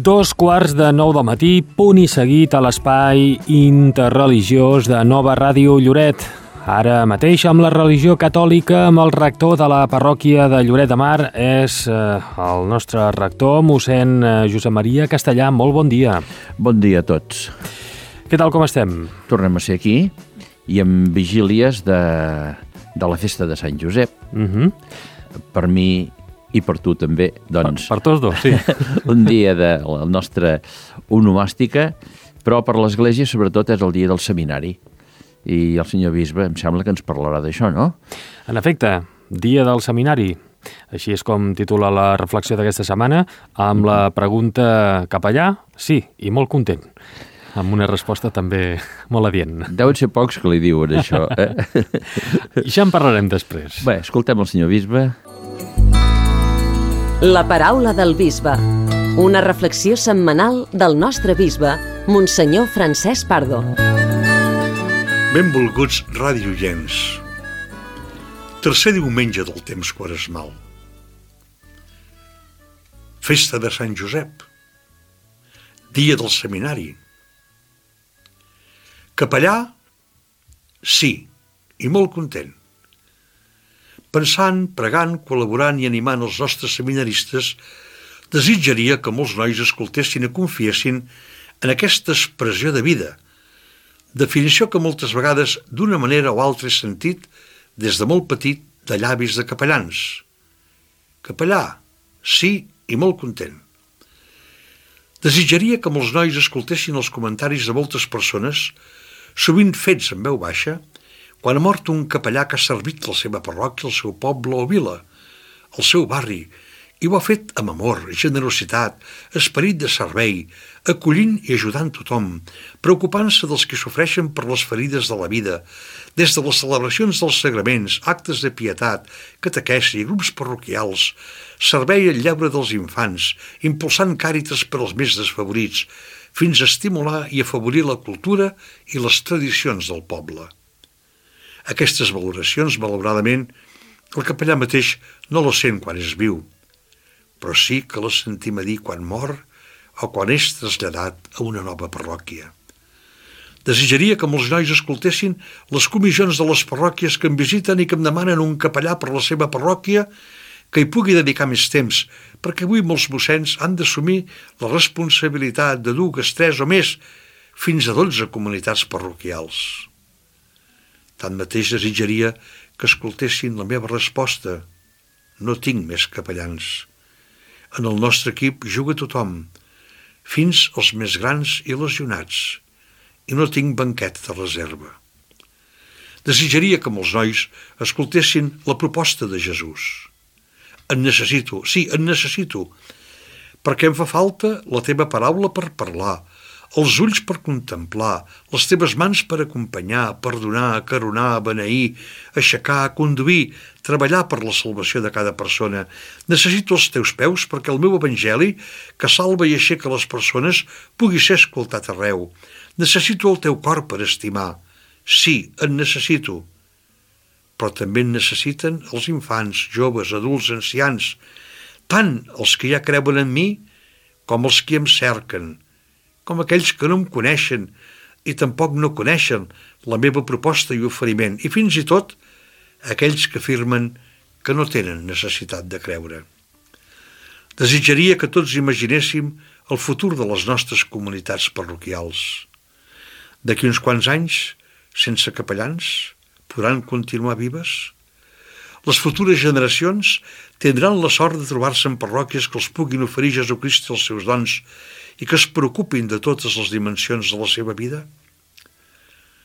2:15 del matí, punt i seguit a l'espai interreligiós de Nova Ràdio Lloret. Ara mateix amb la religió catòlica, amb el rector de la parròquia de Lloret de Mar, és el nostre rector, mossèn Josep Maria Castellà. Molt bon dia. Bon dia a tots. Què tal, com estem? Tornem a ser aquí i amb vigílies de la festa de Sant Josep. Per mi i per tu també, doncs... Per tots dos, sí. Un dia de la nostra onomàstica, però per l'Església sobretot és el dia del seminari. I el senyor bisbe em sembla que ens parlarà d'això, no? En efecte, dia del seminari. Així és com titula la reflexió d'aquesta setmana, amb la pregunta cap allà, sí, i molt content. Amb una resposta també molt adient. Deuen ser pocs que li diuen això. I ja en parlarem després. Bé, escoltem el senyor bisbe. La paraula del bisbe. Una reflexió setmanal del nostre bisbe, Monsenyor Francesc Pardo. Benvolguts radioients. Tercer diumenge del temps quaresmal. Festa de Sant Josep. Dia del seminari. Capellà? Sí, i molt content. Pensant, pregant, col·laborant i animant els nostres seminaristes, desitjaria que molts nois escoltessin i confiessin en aquesta expressió de vida, definició que moltes vegades d'una manera o altra he sentit des de molt petit de llavis de capellans. Capellà, sí i molt content. Desitjaria que molts nois escoltessin els comentaris de moltes persones, sovint fets en veu baixa, quan ha mort un capellà que ha servit la seva parròquia, el seu poble o vila, el seu barri, i ho ha fet amb amor, generositat, esperit de servei, acollint i ajudant tothom, preocupant-se dels que sofreixen per les ferides de la vida, des de les celebracions dels sagraments, actes de pietat, catequesi, grups parroquials, servei al lleure dels infants, impulsant càritas per als més desfavorits, fins a estimular i afavorir la cultura i les tradicions del poble. Aquestes valoracions, malauradament, el capellà mateix no les sent quan és viu, però sí que les sentim a dir quan mor o quan és traslladat a una nova parròquia. Desitjaria que molts nois escoltessin les comissions de les parròquies que em visiten i que em demanen un capellà per la seva parròquia que hi pugui dedicar més temps, perquè avui molts mossens han d'assumir la responsabilitat de 2, 3 o més, fins a 12 comunitats parroquials. Tanmateix desitjaria que escoltessin la meva resposta. No tinc més capellans. En el nostre equip juga tothom, fins als més grans i lesionats, i no tinc banquet de reserva. Desitjaria que molts nois escoltessin la proposta de Jesús. En necessito, sí, en necessito, perquè em fa falta la teva paraula per parlar, els ulls per contemplar, les teves mans per acompanyar, perdonar, acaronar, beneir, aixecar, conduir, treballar per la salvació de cada persona. Necessito els teus peus perquè el meu evangeli, que salva i aixeca les persones, pugui ser escoltat arreu. Necessito el teu cor per estimar. Sí, en necessito. Però també en necessiten els infants, joves, adults, ancians, tant els que ja creuen en mi com els que em cerquen, com aquells que no em coneixen i tampoc no coneixen la meva proposta i oferiment, i fins i tot aquells que afirmen que no tenen necessitat de creure. Desitjaria que tots imaginéssim el futur de les nostres comunitats parroquials. D'aquí uns quants anys, sense capellans, podran continuar vives? Les futures generacions tindran la sort de trobar-se en parròquies que els puguin oferir Jesucrist els seus dons i que es preocupin de totes les dimensions de la seva vida?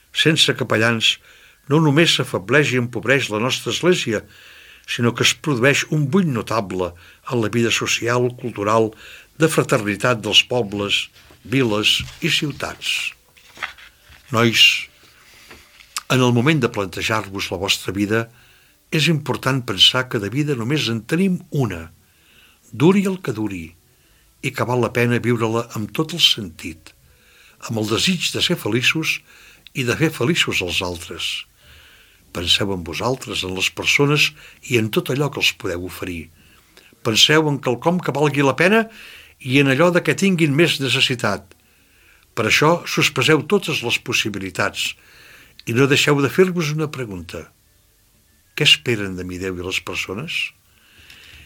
Sense capellans, no només s'afebleix i empobreix la nostra església, sinó que es produeix un buit notable en la vida social, cultural, de fraternitat dels pobles, viles i ciutats. Nois, en el moment de plantejar-vos la vostra vida, és important pensar que de vida només en tenim una, duri el que duri, i que val la pena viure-la amb tot el sentit, amb el desig de ser feliços i de fer feliços els altres. Penseu en vosaltres, en les persones i en tot allò que els podeu oferir. Penseu en quelcom que valgui la pena i en allò de què tinguin més necessitat. Per això sospeseu totes les possibilitats i no deixeu de fer-vos una pregunta. Què esperen de mi Déu i les persones?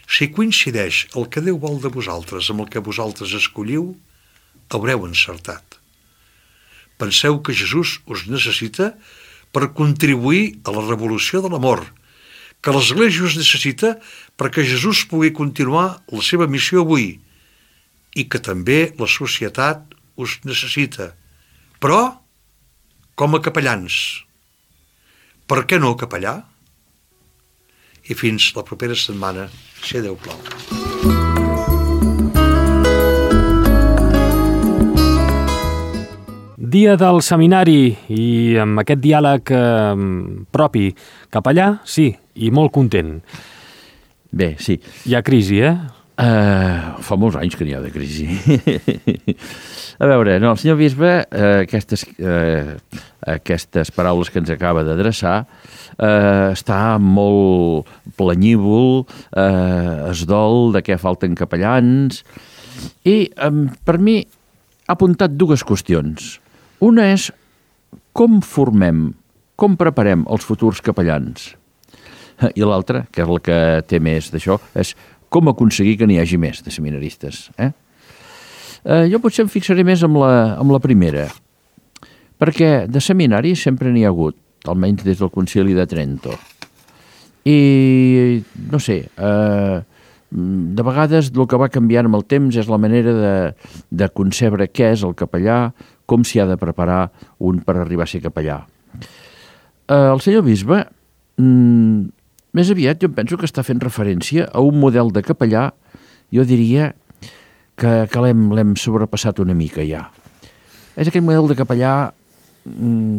Si coincideix el que Déu vol de vosaltres amb el que vosaltres escolliu, haureu encertat. Penseu que Jesús us necessita per contribuir a la revolució de l'amor, que l'Església us necessita perquè Jesús pugui continuar la seva missió avui i que també la societat us necessita, però com a capellans. Per què no capellà? I fins la propera setmana, si Déu plau. Dia del seminari i amb aquest diàleg propi. Capellà, sí, i molt content. Bé, sí. Hi ha crisi, Fa molts anys que n'hi ha de crisi. A veure, no, el senyor bisbe, aquestes paraules que ens acaba d'adreçar, està molt planyívol, es dol de què falten capellans, i per mi ha apuntat dues qüestions. Una és com formem, com preparem els futurs capellans. I l'altra, que és la que té més d'això, és com aconseguir que n'hi hagi més de seminaristes. Jo potser em fixaré més amb la primera, perquè de seminari sempre n'hi ha hagut, almenys des del Concili de Trento. I, no sé, de vegades el que va canviant amb el temps és la manera de concebre què és el capellà, com s'hi ha de preparar un per arribar a ser capellà. El senyor bisbe, més aviat jo penso que està fent referència a un model de capellà, jo diria que l'hem sobrepassat una mica ja. És aquell model de capellà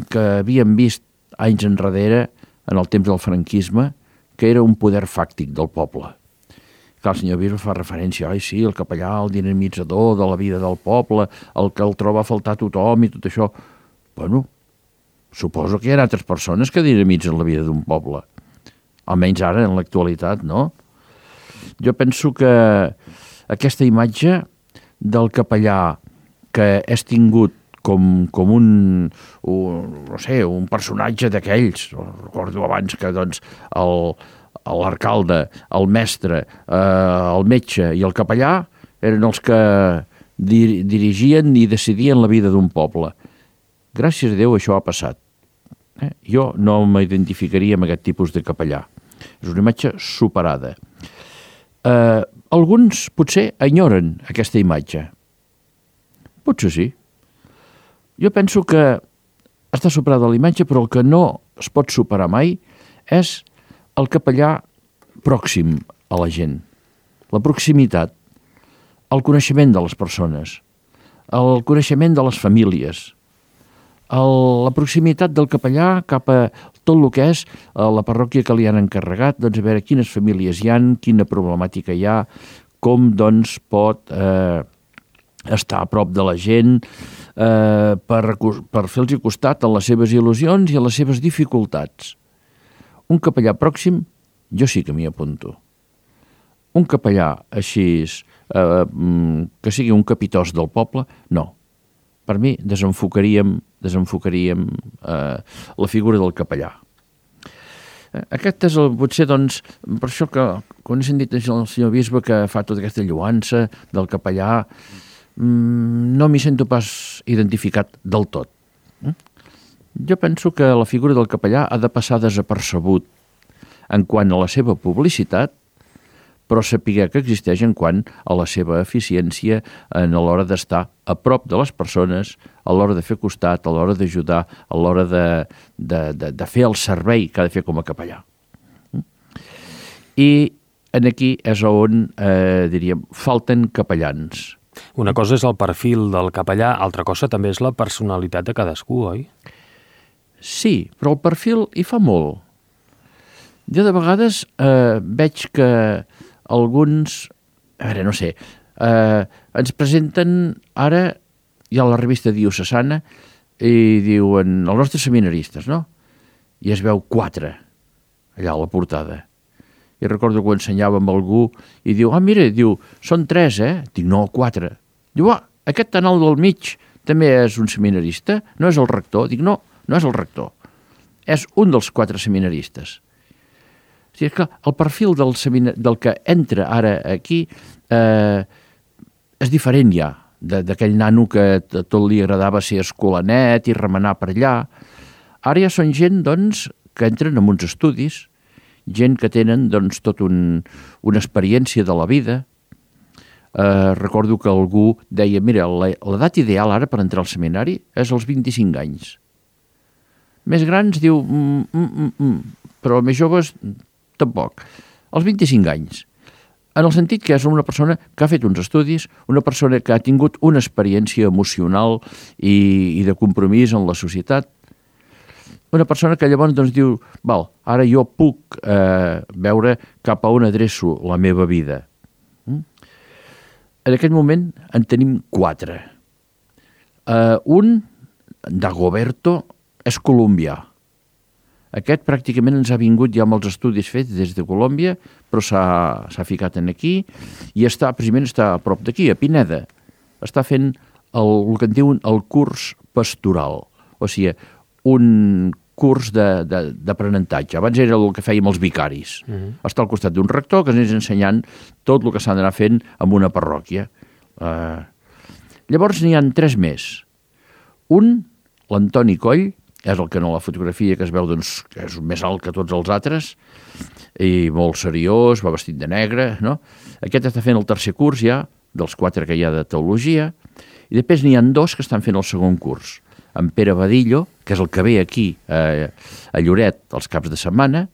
que havíem vist anys enrere, en el temps del franquisme, que era un poder fàctic del poble. Clar, el senyor bisbe fa referència, sí, el capellà, el dinamitzador de la vida del poble, el que el troba a faltar tothom i tot això. Bueno, suposo que hi ha altres persones que dinamitzen la vida d'un poble. Almenys ara, en l'actualitat, no? Jo penso que aquesta imatge del capellà que és tingut com un personatge d'aquells, recordo abans que doncs, l'alcalde, el mestre, el metge i el capellà eren els que dirigien i decidien la vida d'un poble. Gràcies a Déu això ha passat. Jo no m'identificaria amb aquest tipus de capellà. És una imatge superada. Alguns potser enyoren aquesta imatge. Potser sí. Jo penso que està superada la imatge, però el que no es pot superar mai és el capellà pròxim a la gent. La proximitat, el coneixement de les persones, el coneixement de les famílies, la proximitat del capellà cap a tot el que és la parròquia que li han encarregat, doncs a veure quines famílies hi han, quina problemàtica hi ha, com doncs pot estar a prop de la gent per fer-los costat en les seves il·lusions i en les seves dificultats. Un capellà pròxim, jo sí que m'hi apunto. Un capellà així, que sigui un capitós del poble, no. Per mi desenfocaríem la figura del capellà. Aquest és potser, doncs, per això que quan he sentit el senyor bisbe que fa tota aquesta lloança del capellà, no m'hi sento pas identificat del tot. Jo penso que la figura del capellà ha de passar desapercebut en quant a la seva publicitat, però saber que existeix en quant a la seva eficiència a l'hora d'estar a prop de les persones, a l'hora de fer costat, a l'hora d'ajudar, a l'hora de fer el servei que ha de fer com a capellà. I aquí és on, diríem, falten capellans. Una cosa és el perfil del capellà, altra cosa també és la personalitat de cadascú, oi? Sí, però el perfil hi fa molt. Jo de vegades veig que alguns, no sé, ens presenten ara, hi ha la revista diocesana, i diuen els nostres seminaristes, no? I es veu 4 allà a la portada. I recordo que ho ensenyava amb algú i diu, mira, diu, són 3, Dic, no, 4. Diu, aquest tan alt del mig també és un seminarista? No és el rector? Dic, no, no és el rector. És un dels 4 seminaristes. O sigui, que el perfil del que entra ara aquí és diferent ja, d'aquell nano que tot li agradava ser escolanet i remenar per allà. Ara ja són gent, doncs, que entren en uns estudis, gent que tenen, doncs, tot una experiència de la vida. Recordo que algú deia, mira, l'edat ideal ara per entrar al seminari és als 25 anys. Més grans diu, però més joves tampoc. Als 25 anys. En el sentit que és una persona que ha fet uns estudis, una persona que ha tingut una experiència emocional i de compromís en la societat, una persona que llavors doncs, diu, val, ara jo puc veure cap a on adreço la meva vida. En aquest moment en tenim 4. Un, Dagoberto, és colombià. Aquest pràcticament ens ha vingut ja amb els estudis fets des de Colòmbia, però s'ha ficat aquí i precisament està a prop d'aquí, a Pineda. Està fent el que en diuen el curs pastoral, o sigui, un curs d'aprenentatge. Abans era el que fèiem els vicaris. Està al costat d'un rector que ens anés ensenyant tot el que s'ha d'anar fent en una parròquia. Llavors n'hi ha 3 més. Un, l'Antoni Coll, és el que en la fotografia que es veu doncs, que és més alt que tots els altres i molt seriós, va vestit de negre, no? Aquest està fent el 3è curs ja, dels 4 que hi ha de teologia, i després n'hi ha 2 que estan fent el 2è curs. En Pere Badillo, que és el que ve aquí a Lloret els caps de setmana,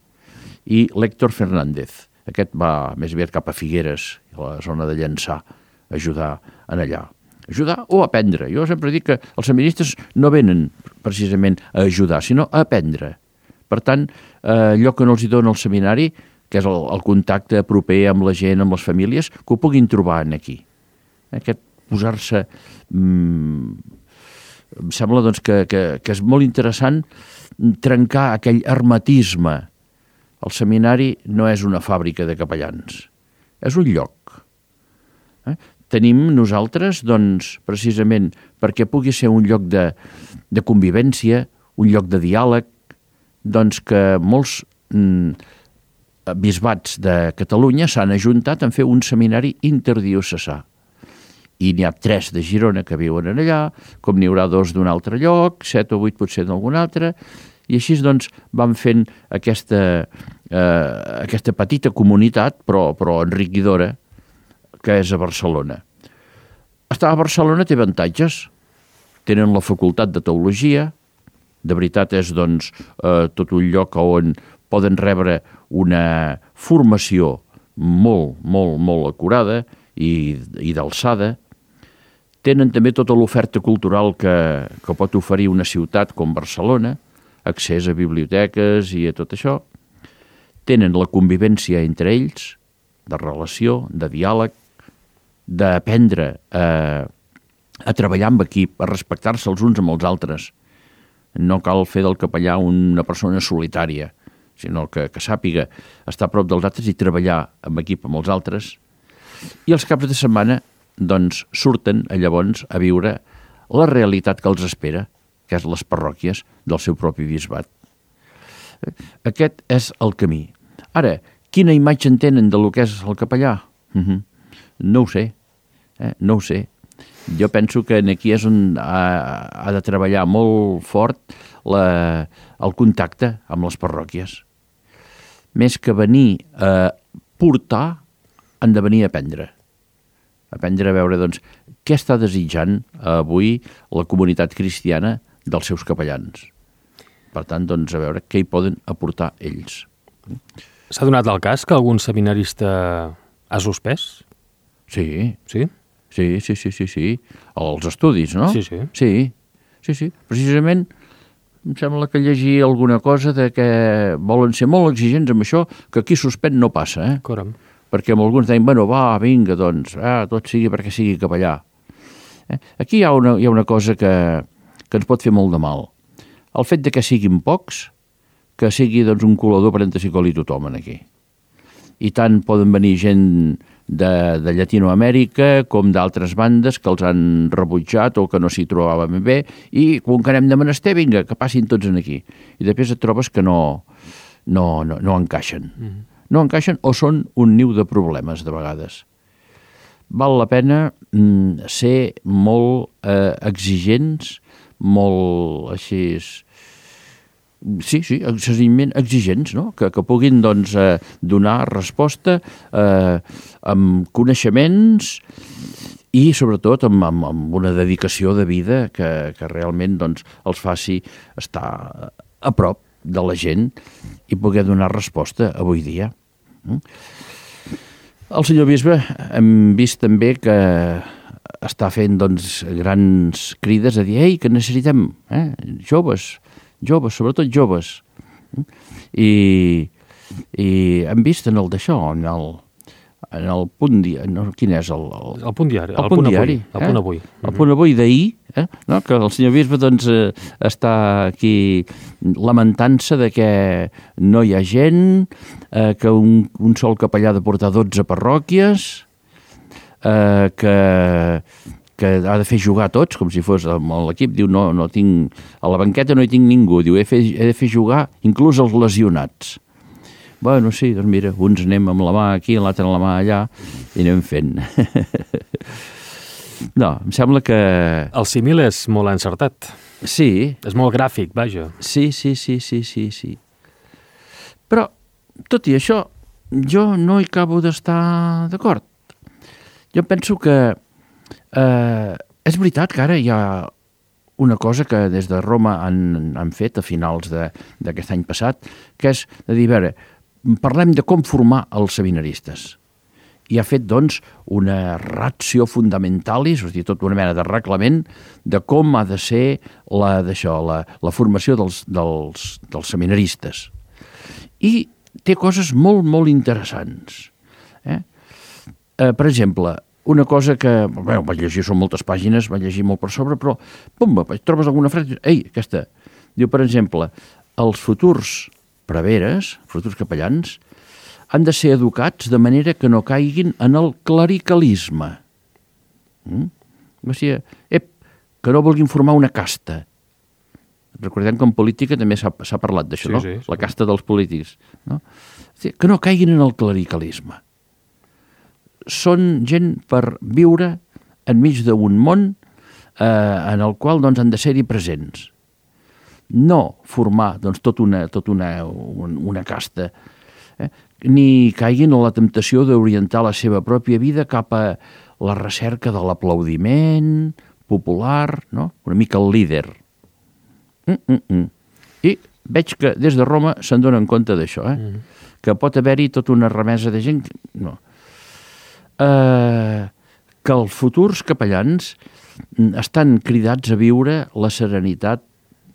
i l'Héctor Fernández. Aquest va més aviat cap a Figueres, a la zona de Llançà, a ajudar en allà. Ajudar o aprendre. Jo sempre dic que els seminaristes no venen precisament a ajudar, sinó a aprendre. Per tant, allò que no els dona el seminari, que és el contacte proper amb la gent, amb les famílies, que ho puguin trobar aquí. Aquest posar-se... Em sembla doncs, que és molt interessant trencar aquell hermetisme. El seminari no és una fàbrica de capellans, és un lloc. Tenim nosaltres, doncs, precisament perquè pugui ser un lloc de convivència, un lloc de diàleg, doncs que molts bisbats de Catalunya s'han ajuntat en fer un seminari interdiocesà. I n'hi ha 3 de Girona que viuen allà, com n'hi haurà 2 d'un altre lloc, 7 o 8 potser d'algun altre, i així doncs van fent aquesta petita comunitat, però enriquidora, que és a Barcelona. Estar a Barcelona té avantatges. Tenen la facultat de teologia, de veritat és doncs, tot un lloc on poden rebre una formació molt, molt, molt acurada i d'alçada. Tenen també tota l'oferta cultural que pot oferir una ciutat com Barcelona, accés a biblioteques i a tot això. Tenen la convivència entre ells, de relació, de diàleg, d'aprendre a treballar amb equip, a respectar-se els uns amb els altres. No cal fer del capellà una persona solitària, sinó que sàpiga estar a prop dels altres i treballar amb equip amb els altres. I els caps de setmana doncs, surten llavors a viure la realitat que els espera, que és les parròquies del seu propi bisbat. Aquest és el camí. Ara, quina imatge en tenen de lo que és el capellà? No ho sé. No ho sé. Jo penso que aquí és on ha de treballar molt fort el contacte amb les parròquies. Més que venir a portar, han de venir a aprendre. Aprendre a veure, doncs, què està desitjant avui la comunitat cristiana dels seus capellans. Per tant, doncs, a veure què hi poden aportar ells. S'ha donat el cas que algun seminarista ha suspès? Sí. Sí? Sí. Els estudis, no? Sí. Sí. Precisament, em sembla que llegir alguna cosa de que volen ser molt exigents amb això, que aquí suspèn no passa, Coram. Perquè amb alguns deien, vinga, doncs, tot sigui perquè sigui capellà. Aquí hi ha una cosa que ens pot fer molt de mal. El fet de que siguin pocs, que sigui doncs, un colador per entrar-s'hi tothom aquí. i tant poden venir gent de Llatinoamèrica com d'altres bandes que els han rebutjat o que no s'hi trobaven bé, i com que anem de menester, vinga, que passin tots en aquí. I després et trobes que no encaixen. No encaixen o són un niu de problemes, de vegades. Val la pena ser molt exigents, molt així... Sí, excessivament exigents, no? Que puguin doncs, donar resposta amb coneixements i sobretot amb una dedicació de vida que realment doncs, els faci estar a prop de la gent i poder donar resposta avui dia. El senyor bisbe hem vist també que està fent doncs, grans crides a dir ei, que necessitem joves, sobretot joves. I hem vist en el d'això, en el punt diari, no, quin és el punt diari, el punt diari, el punt avui. El punt avui d'ahir, no? Que el senyor bisbe doncs, està aquí lamentant-se de que no hi ha gent, que un sol capellà ha de portar 12 parròquies, que ha de fer jugar tots, com si fos l'equip, diu, no tinc, a la banqueta no hi tinc ningú, diu, he de fer jugar inclús els lesionats. Bueno, sí, doncs mira, uns anem amb la mà aquí, l'altre amb la mà allà, i anem fent. No, em sembla que... El símil és molt encertat. Sí. És molt gràfic, vaja. Sí. Però, tot i això, jo no hi acabo d'estar d'acord. Jo penso que és veritat que ara hi ha una cosa que des de Roma han fet a finals d'aquest any passat, que és de dir, a veure, parlem de com formar els seminaristes. I ha fet, doncs, una ratio fundamentalis, és a dir, tota una mena de reglament de com ha de ser la formació dels seminaristes. I té coses molt, molt interessants. Per exemple, una cosa que, vaig llegir, són moltes pàgines, vaig llegir molt per sobre, però, pumba, trobes alguna frase, ei, aquesta. Diu, per exemple, els futurs preveres, futurs capellans, han de ser educats de manera que no caiguin en el clericalisme. O sigui, que no vulguin formar una casta. Recordem que en política també s'ha parlat d'això, no? La casta dels polítics. No? Que no caiguin en el clericalisme. Són gent per viure enmig d'un món en el qual doncs, han de ser-hi presents. No formar doncs, tota una casta, ni caiguin en la temptació d'orientar la seva pròpia vida cap a la recerca de l'aplaudiment popular, no? Una mica el líder. I veig que des de Roma se'n donen compte d'això, que pot haver-hi tota una remesa de gent... No. Que els futurs capellans estan cridats a viure la serenitat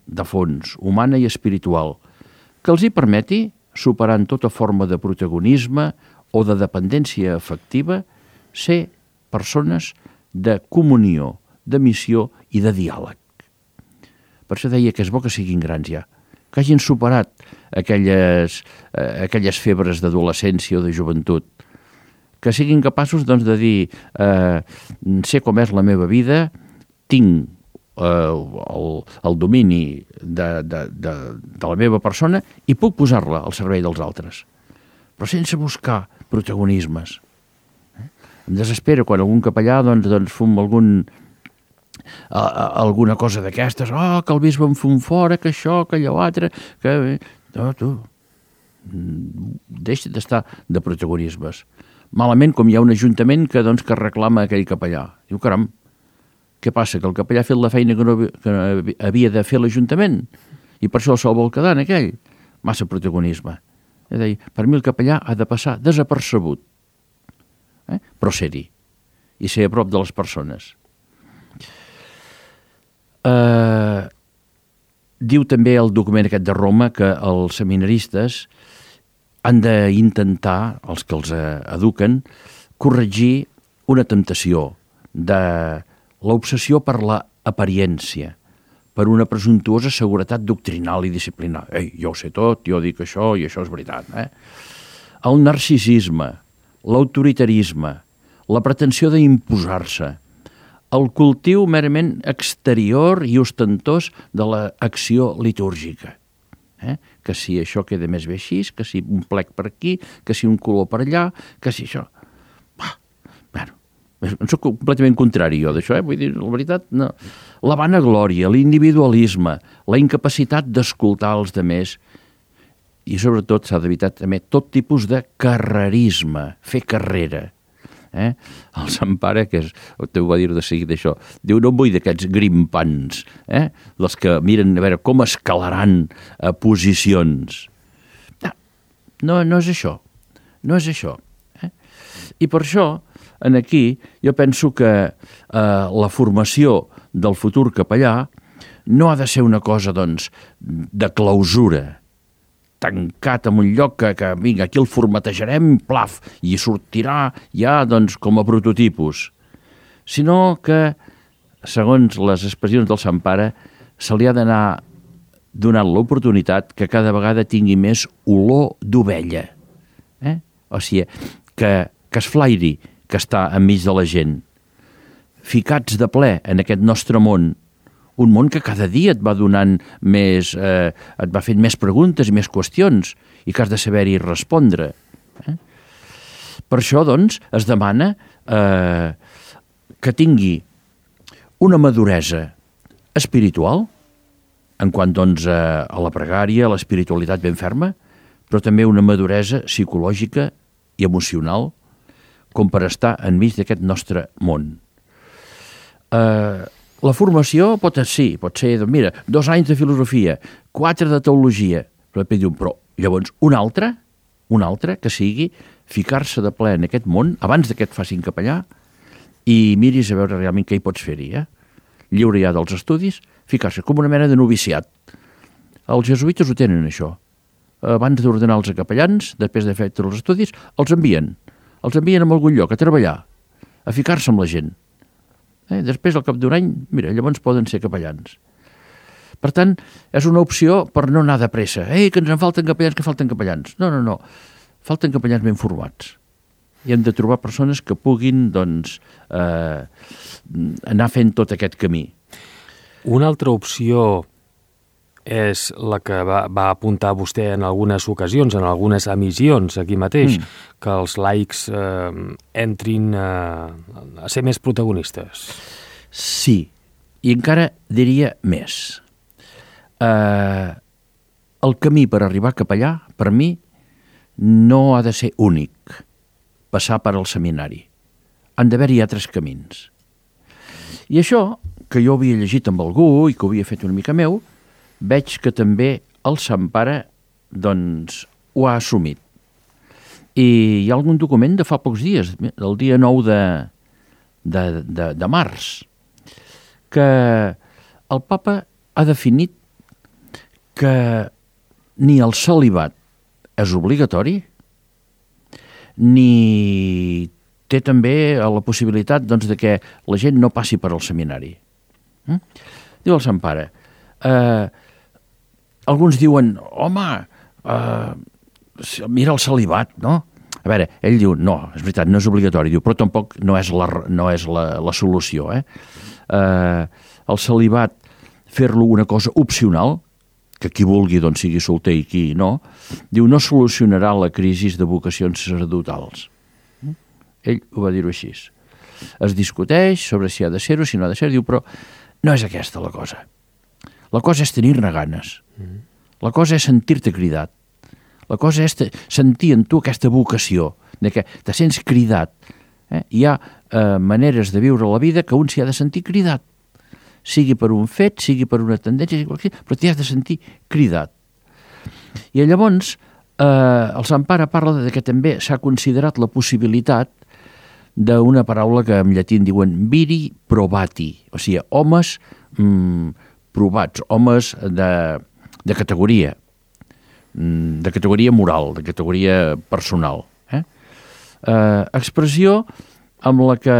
de fons, humana i espiritual, que els hi permeti, superant tota forma de protagonisme o de dependència afectiva, ser persones de comunió, de missió i de diàleg. Per això deia que és bo que siguin grans ja, que hagin superat aquelles febres d'adolescència o de joventut, que siguin capaços doncs, de dir sé com és la meva vida, tinc el domini de la meva persona i puc posar-la al servei dels altres, però sense buscar protagonismes. Em desespera quan algun capellà doncs fum alguna cosa d'aquestes, que el bisbe em fum fora, que això, que allò altre, que... No, tu, deixa d'estar de protagonismes. Malament com hi ha un ajuntament que reclama aquell capellà. Diu, caram, què passa? Que el capellà ha fet la feina que havia de fer l'Ajuntament i per això se'l vol quedar en aquell? Massa protagonisme. És a dir, per mi el capellà ha de passar desapercebut, però ser-hi i ser a prop de les persones. Diu també el document aquest de Roma que els seminaristes han d'intentar, els que els eduquen, corregir una temptació de l'obsessió per la apariència, per una presumptuosa seguretat doctrinal i disciplinar. Ei, jo ho sé tot, jo dic això i això és veritat. el narcisisme, l'autoritarisme, la pretensió d'imposar-se, el cultiu merament exterior i ostentós de l'acció litúrgica. Que si això queda més bé així, que si un plec per aquí, que si un color per allà, que si això... Bueno, soc completament contrari jo d'això, vull dir, la veritat, no. La vanaglòria, l'individualisme, la incapacitat d'escoltar els demés i sobretot s'ha d'evitar també tot tipus de carrerisme, fer carrera. El Sant Pare, que ho va dir de seguida això, diu, no em vull d'aquests grimpants, dels que miren a veure com escalaran posicions. No és això, no és això. I per això, aquí, jo penso que la formació del futur capellà no ha de ser una cosa, doncs, de clausura, tancat en un lloc que vinga, aquí el formatejarem, plaf, i sortirà ja, doncs, com a prototipus, sinó que, segons les expressions del Sant Pare, se li ha d'anar donant l'oportunitat que cada vegada tingui més olor d'ovella. O sigui, que es flairi, que està enmig de la gent, ficats de ple en aquest nostre món, un món que cada dia et va donant més, et va fent més preguntes i més qüestions i que has de saber-hi respondre. Per això, doncs, es demana que tingui una maduresa espiritual, en quant, doncs, a la pregària, a l'espiritualitat ben ferma, però també una maduresa psicològica i emocional, com per estar enmig d'aquest nostre món. La formació pot ser, doncs mira, 2 anys de filosofia, 4 de teologia, però llavors un altre que sigui ficar-se de ple en aquest món, abans que et facin capellà, i miris a veure realment què hi pots fer-hi, lliure ja dels estudis, ficar-se com una mena de noviciat. Els jesuïtes ho tenen, això. Abans d'ordenar els capellans, després de fer tots els estudis, els envien a algun lloc a treballar, a ficar-se amb la gent. Després, al cap d'un any, mira, llavors poden ser capellans. Per tant, és una opció per no anar de pressa. Que ens en falten capellans, No. Falten capellans ben formats. I hem de trobar persones que puguin, doncs, anar fent tot aquest camí. Una altra opció és la que va apuntar vostè en algunes ocasions, en algunes emissions aquí mateix, que els laics entrin a ser més protagonistes. Sí, i encara diria més. El camí per arribar a capellà, per mi, no ha de ser únic, passar per al seminari. Han d'haver-hi altres camins. I això, que jo havia llegit amb algú i que ho havia fet una mica meu, veig que també el Sant Pare, doncs, ho ha assumit. I hi ha algun document de fa pocs dies, el dia 9 de març, que el Papa ha definit que ni el celibat és obligatori, ni té també la possibilitat, doncs, de que la gent no passi per al seminari. Diu el Sant Pare, alguns diuen, home, mira el celibat, no? A veure, ell diu, no, és veritat, no és obligatori, diu, però tampoc no és la solució. El celibat, fer-lo una cosa opcional, que qui vulgui doncs, sigui solter i qui no, diu, no solucionarà la crisi de vocacions sacerdotals. Ell ho va dir-ho així. Es discuteix sobre si ha de ser-ho, si no ha de ser, diu, però no és aquesta la cosa. La cosa és tenir-ne ganes. La cosa és sentir-te cridat. La cosa és sentir en tu aquesta vocació, de que te sents cridat. Hi ha maneres de viure la vida que un s'hi ha de sentir cridat. Sigui per un fet, sigui per una tendència, però t'hi has de sentir cridat. I llavors el Sant Pare parla de que també s'ha considerat la possibilitat d'una paraula que en llatí en diuen viri probati, o sigui, homes provats, homes de categoria moral, de categoria personal. Expressió amb la que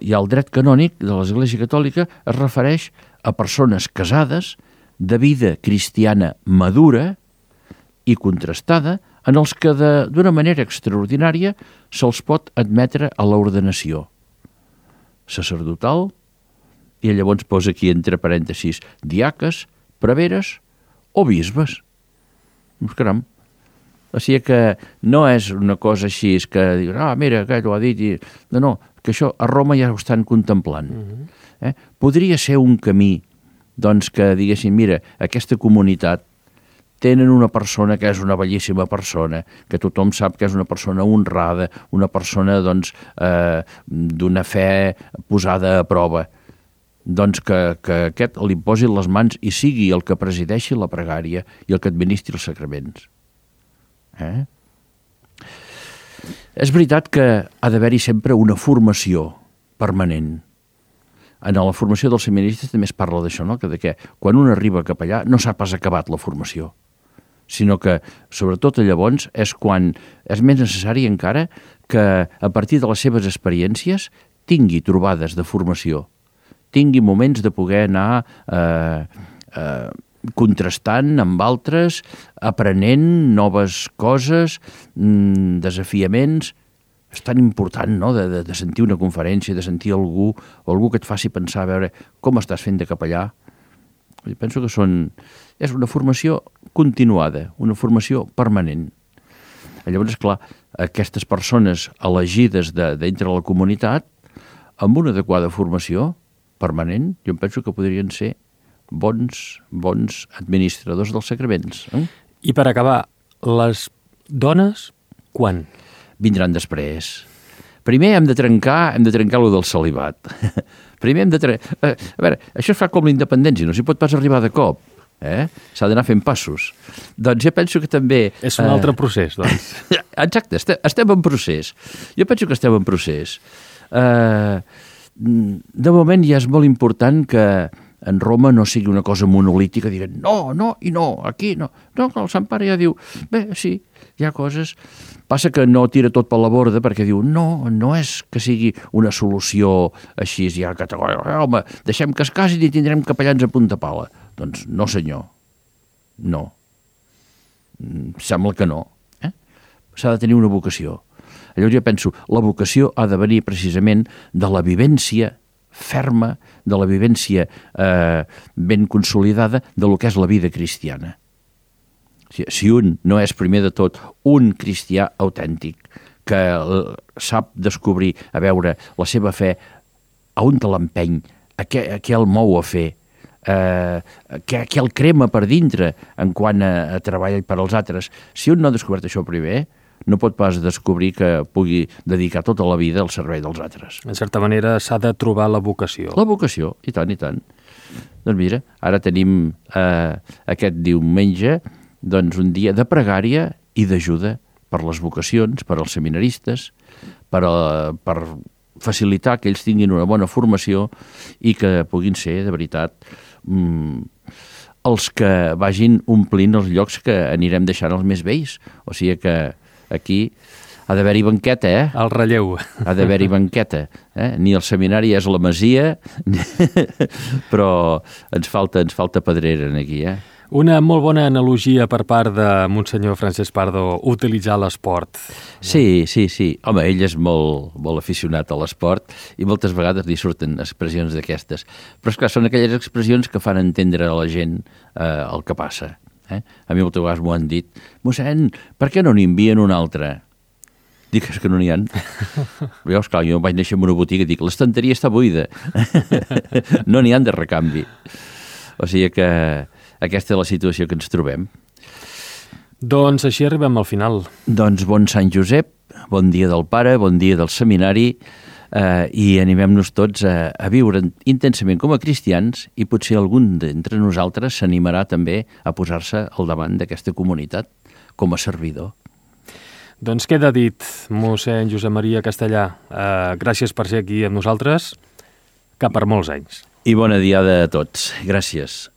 i el dret canònic de l'Església Catòlica es refereix a persones casades, de vida cristiana madura i contrastada en els que d'una manera extraordinària se'ls pot admetre a l'ordenació sacerdotal, i llavors posa aquí entre parèntesis diaques, preveres o bisbes. Caram. O sigui que no és una cosa així que diuen, mira, aquell ho ha dit. No, que això a Roma ja ho estan contemplant. Podria ser un camí, doncs, que diguessin, mira, aquesta comunitat tenen una persona que és una bellíssima persona, que tothom sap que és una persona honrada, una persona, doncs, d'una fe posada a prova. Doncs que aquest li posi les mans i sigui el que presideixi la pregària i el que administri els sacraments. És veritat que ha d'haver-hi sempre una formació permanent. En la formació dels seminaristes també es parla d'això, no? Que quan un arriba cap allà no s'ha pas acabat la formació, sinó que, sobretot llavors, és quan és més necessari encara que, a partir de les seves experiències, tingui trobades de formació, tingui moments de poder anar contrastant amb altres, aprenent noves coses, desafiaments. És tan important, no?, de sentir una conferència, de sentir algú que et faci pensar, a veure com estàs fent de capellà. Jo penso que és una formació continuada, una formació permanent. Llavors, esclar, aquestes persones elegides dintre la comunitat, amb una adequada formació permanent, jo penso que podrien ser bons administradors dels sacraments. I per acabar, les dones, quan? Vindran després. Primer hem de trencar lo del celibat. Primer hem de trencar... A veure, això es fa com la independència, no s'hi pot pas arribar de cop. S'ha d'anar fent passos. Doncs jo penso que també... És un altre procés, doncs. Exacte, estem en procés. Jo penso que estem en procés. De moment ja és molt important que en Roma no sigui una cosa monolítica, diguen no i no, aquí no. No, el Sant Pare ja diu, bé, sí, hi ha coses. Passa que no tira tot per la borda perquè diu, no és que sigui una solució així, ja categòrica, home, deixem que es casin i tindrem capellans a punta pala. Doncs no, senyor, no. Sembla que no. S'ha de tenir una vocació. Llavors jo penso, la vocació ha de venir precisament de la vivència ferma, de la vivència ben consolidada de lo que és la vida cristiana. Si un no és primer de tot un cristià autèntic, que sap descobrir, a veure, la seva fe, a on te l'empeny, a què el mou a fer, què el crema per dintre en quant a treballar per als altres. Si un no ha descobert això primer, no pot pas descobrir que pugui dedicar tota la vida al servei dels altres. En certa manera s'ha de trobar la vocació. La vocació, i tant, i tant. Doncs mira, ara tenim aquest diumenge un dia de pregària i d'ajuda per les vocacions, per als seminaristes, per facilitar que ells tinguin una bona formació i que puguin ser, de veritat, els que vagin omplint els llocs que anirem deixant els més vells. O sigui que aquí ha d'haver-hi banqueta, El relleu. Ha d'haver-hi banqueta. Ni el seminari és la masia, però ens falta pedrera aquí, Una molt bona analogia per part de Monsenyor Francesc Pardo, utilitzar l'esport. Sí. Home, ell és molt, molt aficionat a l'esport i moltes vegades li surten expressions d'aquestes. Però, esclar, són aquelles expressions que fan entendre a la gent el que passa. A mi moltes vegades m'ho han dit. Mossèn, per què no n'hi envien un altre? Dic, és que no n'hi ha. Jo, esclar, jo vaig néixer en una botiga i dic, l'estanteria està buida. No n'hi ha de recanvi. O sigui que aquesta és la situació que ens trobem. Doncs així arribem al final. Doncs bon Sant Josep, bon dia del Pare, bon dia del Seminari, i animem-nos tots a viure intensament com a cristians i potser algun d'entre nosaltres s'animarà també a posar-se al davant d'aquesta comunitat com a servidor. Doncs queda dit, mossèn Josep Maria Castellà. Gràcies per ser aquí amb nosaltres, que per molts anys. I bona diada a tots. Gràcies.